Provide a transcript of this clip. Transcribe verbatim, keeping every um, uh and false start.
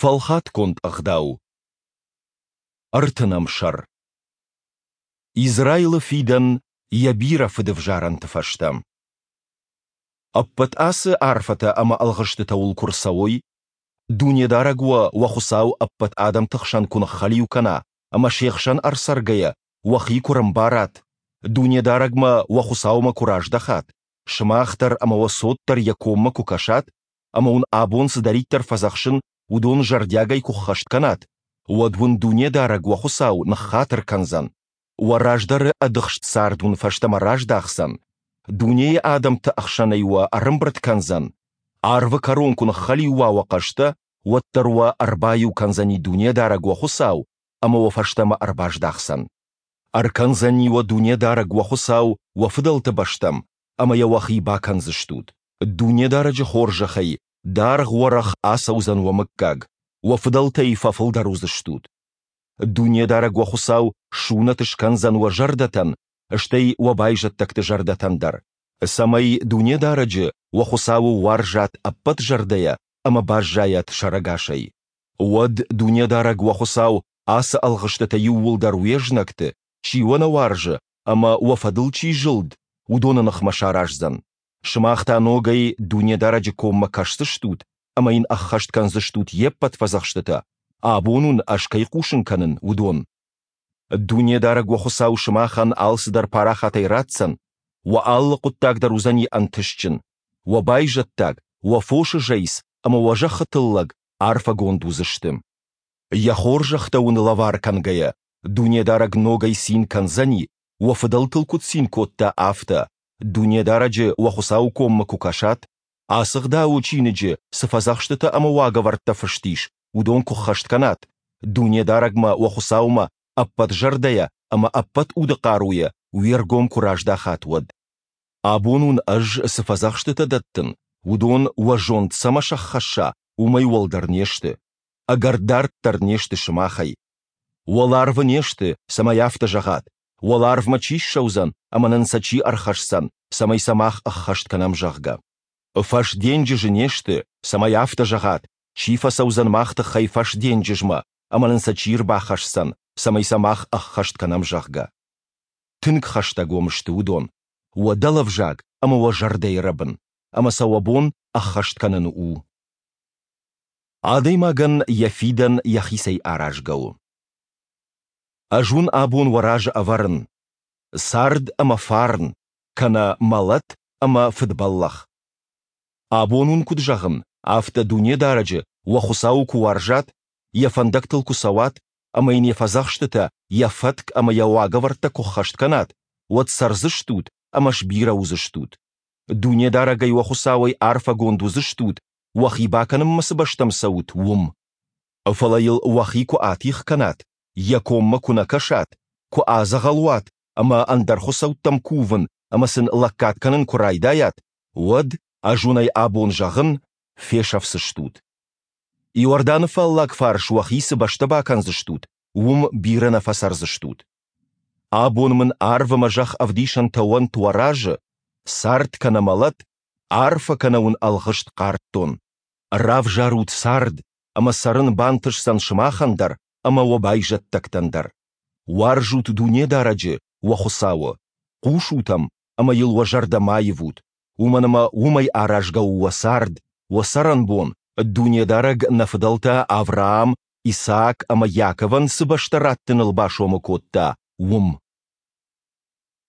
Фӕлхатгонд ӕгъдау. Ӕртынӕм сӕр. Израилы фидӕн йӕ бирӕ фыдӕвзарӕнты фӕстӕ. Ӕппӕт ацы арфӕтӕ ӕмӕ ӕлгъыстытӕ уыл куы рцӕуой, Дунедарӕг уӕ уӕ Хуыцау ӕппӕт адӕмты хсӕн куы ныххӕлиу кӕна ӕмӕ се хсӕн ӕрцӕргӕйӕ уӕхи куы рӕмбарат, Дунедарӕгмӕ, уӕ Хуыцаумӕ куы раздӕхат, сымах дӕр ӕмӕ уӕ цот дӕр Йӕ коммӕ куы кӕсат ӕмӕ уын абон цыдӕриддӕр фӕдзӕхсын, уыдон зӕрдиагӕй куы ххӕст кӕнат, уӕд уын Дунедарӕг уӕ Хуыцау ныххатыр кӕндзӕн, уӕ раздӕры ӕдыхст цард уын фӕстӕмӕ раздахдзӕн, дунейы адӕмты ӕхсӕнӕй уӕ ӕрӕмбырд кӕндзӕн, арвы кӕрон куы ныххӕлиу уа уӕ хъӕстӕ, уӕддӕр уӕ ӕрбаиу кӕндзӕни Дунедарӕг уӕ Хуыцау ӕмӕ уӕ фӕстӕмӕ ӕрбаздахдзӕн. Ӕркӕндзӕни уӕ Дунедарӕг уӕ Хуыцау уӕ фыдӕлты бӕстӕм, ӕмӕ йӕ уӕхи бакӕндзыстут. Дунедарӕджы хорзӕхӕй даргъ-уӕрӕх ацӕудзӕн уӕ мыггаг, уӕ фыдӕлтӕй фӕфылдӕр уыдзыстут. Дунедарӕг уӕ Хуыцау сунӕт скӕндзӕн уӕ зӕрдӕтӕн, стӕй уӕ байзӕддӕгты зӕрдӕтӕн дӕр, цӕмӕй Дунедарӕджы, уӕ Хуыцауы, уарзат ӕппӕт зӕрдӕйӕ ӕмӕ баззайат сӕрӕгасӕй. Уӕд Дунедарӕг уӕ Хуыцау ацы ӕлгъыстытӕ иууылдӕр уе знӕгты, чи уӕ нӕ уарзы ӕмӕ уӕ фӕдыл чи зылд, уыдоны ныхмӕ сараздзӕн. Сымах та ногӕй Дунедарӕджы коммӕ кӕсдзыстут ӕмӕ йын ӕххӕст кӕндзыстут йе ппӕт фӕдзӕхстытӕ, абон уын ӕз кӕй хъусын кӕнын, уыдон. Дунедарӕг уӕ Хуыцау сымахӕн алцыдӕр парахатӕй ратдзӕн, уӕ алы хъуыддаг дӕр уыдзӕни ӕнтыстджын, уӕ байзӕддаг, уӕ фосы зӕйц ӕмӕ уӕ зӕххы тыллӕг арфӕгонд уыдзысты. Йӕ хорзӕхтӕ уын лӕвар кӕнгӕйӕ, Дунедарӕг ногӕй цин кӕндзӕни, уӕ фыдӕлтыл куыд цин кодта, афтӕ, Дунедарӕджы уӕ Хуыцауы коммӕ куы кӕсат, ацы Ӕгъдауы чиныджы цы фӕдзӕхстытӕ ӕмӕ уагӕвӕрдтӕ фыст ис, уыдон куы ххӕст кӕнат, Дунедарӕгмӕ уӕ Хуыцаумӕ ӕппӕт зӕрдӕйӕ ӕмӕ ӕппӕт уды хъаруйӕ уе ргом куы раздахат, уӕд. Абон уын ӕз цы фӕдзӕхстытӕ дӕттын, уыдон уӕ зонд цӕмӕ сӕххӕсса, уымӕй уӕлдӕр не сты, ӕгӕр дард дӕр не сты сымахӕй. Уӕларвы не сты, цӕмӕй афтӕ зӕгъат, уӕларвмӕ чи ссӕудзӕн ӕмӕ нын сӕ чи ӕрхӕсдзӕн, цӕмӕй сӕ мах ӕххӕст кӕнӕм, зӕгъгӕ. Фӕсденджызы не сты, цӕмӕй афтӕ зӕгъат, чи фӕцӕудзӕн мах тыххӕй фӕсденджызмӕ ӕмӕ нын сӕ чи рбахӕсдзӕн, цӕмӕй сӕ мах ӕххӕст кӕнӕм, зӕгъгӕ. Тынг хӕстӕг уӕм сты уыдон, уӕ дӕлӕвзаг ӕмӕ уӕ зӕрдӕйы рӕбын, ӕмӕ сӕ уӕ бон ӕххӕст кӕнын у. Адӕймагӕн йӕ фидӕн йӕхицӕй аразгӕ у. Ӕз уын абон уӕ разы ӕвӕрын цард ӕмӕ фарн, кӕнӕ мӕлӕт ӕмӕ фыдбӕллӕх. Абон уын куыд зӕгъын, афтӕ Дунедарӕджы, уӕ Хуыцауы куы уарзат, йӕ фӕндӕгтыл куы цӕуат ӕмӕ йын йӕ фӕдзӕхстытӕ, йӕ фӕтк ӕмӕ йӕ уагӕвӕрдтӕ куы ххӕст кӕнат, уӕд цӕрдзыстут ӕмӕ сбирӕ уыдзыстут. Дунедарӕгӕй уӕ Хуыцауӕй арфӕгонд уыдзыстут, уӕхи бакӕнынмӕ цы бӕстӕм цӕут, уым. Фӕлӕ йыл уӕхи куы атигъ кӕнат, йӕ коммӕ куы нӕ кӕсат, куы адзӕгъӕл уат ӕмӕ ӕндӕр хуыцӕуттӕм кувын ӕмӕ сын лӕггад кӕнын куы райдайат, уӕд, ӕз уын ӕй абон зӕгъын, фесӕфдзыстут. Иорданы фаллаг фарс уӕхи цы бӕстӕ бакӕндзыстут, уым бирӕ нӕ фӕцӕрдзыстут. Абон мын арв ӕмӕ зӕхх ӕвдисӕнтӕ уӕнт уӕ разы, цард кӕнӕ мӕлӕт, арфӕ кӕнӕ уын ӕлгъыст хъардтон. Равзарут цард, ӕмӕ цӕрын бантысдзӕн сымахӕн дӕр ӕмӕ уӕ байзӕддӕгтӕн дӕр. Уарзут Дунедарӕджы, уӕ Хуыцауы, хъусут ӕм ӕмӕ йыл уӕ зӕрдӕ ма ивут, уымӕн ӕмӕ уымӕй аразгӕ у уӕ цард, уӕ цӕрӕнбон, Дунедарӕг нӕ фыдӕлтӕ Авраам, Исаак ӕмӕ Иаковӕн цы бӕстӕ раттыныл басомы кодта, уым.